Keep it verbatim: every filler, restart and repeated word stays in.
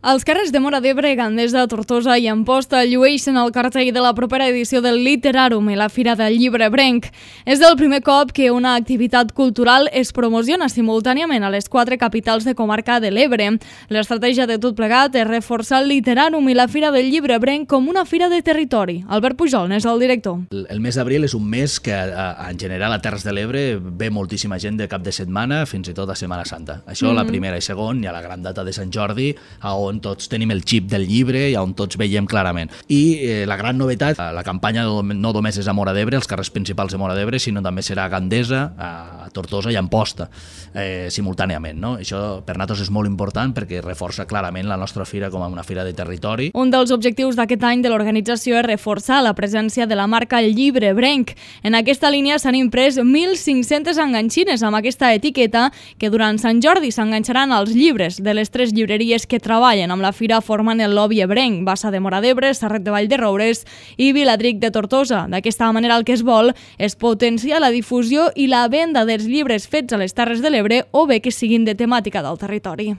Els carrers de Móra d'Ebre, Gandesa, Tortosa i Amposta llueixen el cartell de la propera edició del Literàrum i la Fira del Llibre Ebrenc. És el primer cop que una activitat cultural es promociona simultàniament a les quatre capitals de comarca de l'Ebre. L'estratègia de tot plegat és reforçar el Literàrum i la Fira del Llibre Ebrenc com una fira de territori. Albert Pujol n'és el director. El mes d'abril és un mes que en general a Terres de l'Ebre ve moltíssima gent de cap de setmana, fins i tot a Setmana Santa. Això mm-hmm. la primera i segon, i a la gran data de Sant Jordi, on tots tenim el xip del llibre i on tots veiem clarament. I eh, la gran novetat, la campanya no només és a Móra d'Ebre, els carrers principals de Móra d'Ebre, sinó també serà a Gandesa, a Tortosa i a Amposta, eh, simultàniament. No? Això per nosaltres és molt important perquè reforça clarament la nostra fira com a una fira de territori. Un dels objectius d'aquest any de l'organització és reforçar la presència de la marca El Llibre Ebrenc. En aquesta línia s'han imprès mil cinc-centes enganxines amb aquesta etiqueta que durant Sant Jordi s'enganxaran als llibres de les tres llibreries que treballen amb la fira formant el lobby ebrenc, Bassa de Móra d'Ebre, Sarret de Vall de Roures i Viladric de Tortosa. D'aquesta manera el que es vol és potenciar la difusió i la venda dels llibres fets a les Terres de l'Ebre o bé que siguin de temàtica del territori.